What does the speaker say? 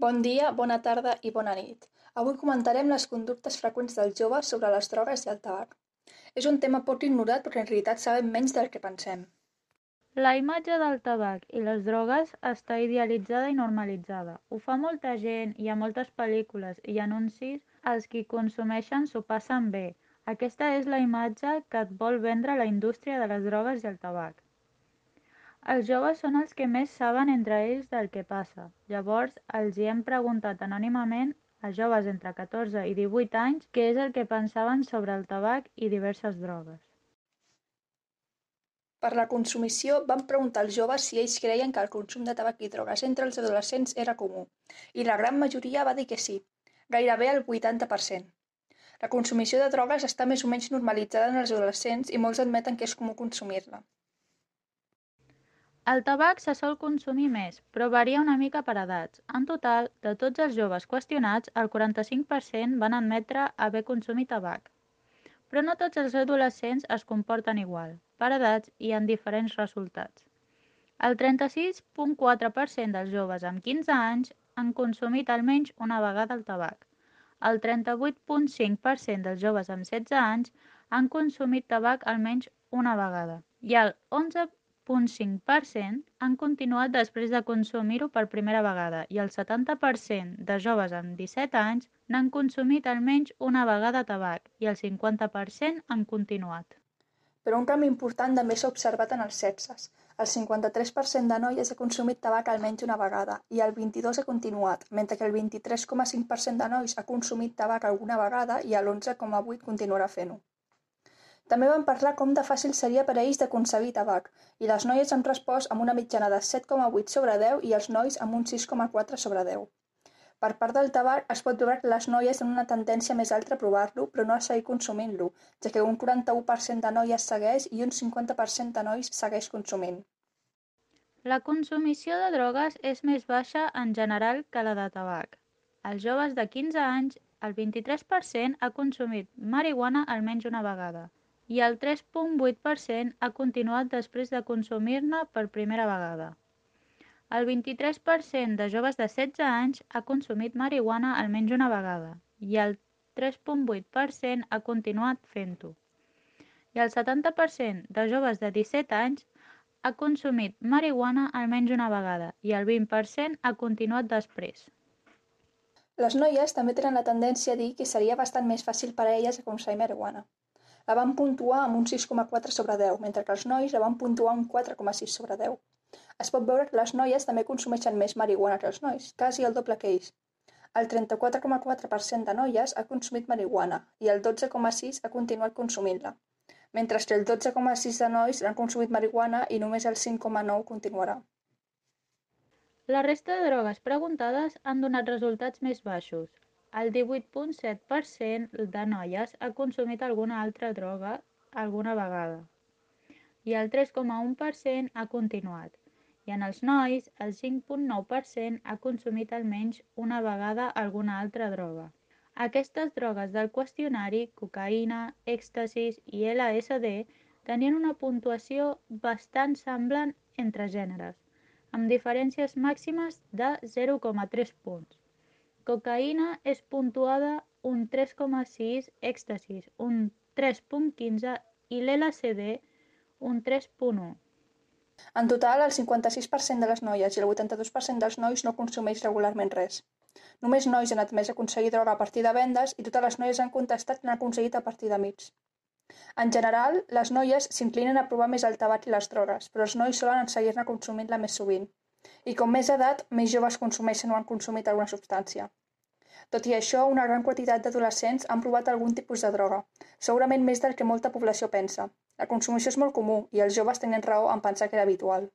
Bon dia, bona tarda i bona nit. Avui comentarem les conductes freqüents dels joves sobre les drogues i el tabac. És un tema poc ignorat perquè en realitat sabem menys del que pensem. La imatge del tabac i les drogues està idealitzada i normalitzada. Ho fa molta gent, hi ha moltes pel·lícules i anuncis, els qui consumeixen s'ho passen bé. Aquesta és la imatge que et vol vendre la indústria de les drogues i el tabac. Els joves són els que més saben entre ells del que passa. Llavors, els hi hem preguntat anònimament a joves entre 14 i 18 anys què és el que pensaven sobre el tabac i diverses drogues. Per la consumició, vam preguntar als joves si ells creien que el consum de tabac i drogues entre els adolescents era comú, i la gran majoria va dir que sí, gairebé el 80%. La consumició de drogues està més o menys normalitzada en els adolescents i molts admeten que és comú consumir-la. El tabac se sol consumir més, però varia una mica per edats. En total, de tots els joves qüestionats, el 45% van admetre haver consumit tabac. Però no tots els adolescents es comporten igual. Per edats hi ha diferents resultats. El 36,4% dels joves amb 15 anys han consumit almenys una vegada el tabac. El 38,5% dels joves amb 16 anys han consumit tabac almenys una vegada i el 11,5% han continuat després de consumir-ho per primera vegada i el 70% de joves amb 17 anys n'han consumit almenys una vegada tabac i el 50% han continuat. Però un canvi important també s'ha observat en els sexes. El 53% de noies ha consumit tabac almenys una vegada i el 22% ha continuat, mentre que el 23,5% de nois ha consumit tabac alguna vegada i l'11,8% continuarà fent-ho. També vam parlar com de fàcil seria per a ells d'aconseguir tabac, i les noies han respost amb una mitjana de 7,8 sobre 10 i els nois amb un 6,4 sobre 10. Per part del tabac, es pot veure que les noies tenen una tendència més alta a provar-lo, però no a seguir consumint-lo, ja que un 41% de noies segueix i un 50% de nois segueix consumint. La consumició de drogues és més baixa en general que la de tabac. Els joves de 15 anys, el 23% ha consumit marihuana almenys una vegada i el 3,8% ha continuat després de consumir-ne per primera vegada. El 23% de joves de 16 anys ha consumit marihuana almenys una vegada i el 3,8% ha continuat fent-ho. I el 70% de joves de 17 anys ha consumit marihuana almenys una vegada i el 20% ha continuat després. Les noies també tenen la tendència a dir que seria bastant més fàcil per a elles aconseguir marihuana. La van puntuar amb un 6,4 sobre 10, mentre que els nois la van puntuar un 4,6 sobre 10. Es pot veure que les noies també consumeixen més marihuana que els nois, quasi el doble que ells. El 34,4% de noies ha consumit marihuana i el 12,6% ha continuat consumint-la, mentre que el 12,6% de nois han consumit marihuana i només el 5,9% continuarà. La resta de drogues preguntades han donat resultats més baixos. El 18,7% de noies ha consumit alguna altra droga alguna vegada i el 3,1% ha continuat. I en els nois, el 5,9% ha consumit almenys una vegada alguna altra droga. Aquestes drogues del qüestionari, cocaïna, èxtasis i LSD, tenien una puntuació bastant semblant entre gèneres, amb diferències màximes de 0,3 punts. Cocaïna és puntuada un 3,6, èxtasis un 3,15 i l'LSD un 3,1. En total, el 56% de les noies i el 82% dels nois no consumeix regularment res. Només nois han admès aconseguir droga a partir de vendes i totes les noies han contestat que n'han aconseguit a partir d'amics. En general, les noies s'inclinen a provar més el tabac i les drogues, però els nois solen seguir-ne consumint-la més sovint. I com més edat, més joves consumeixen o han consumit alguna substància. Tot i això, una gran quantitat d'adolescents han provat algun tipus de droga, segurament més del que molta població pensa. La consumició és molt comú i els joves tenen raó en pensar que era habitual.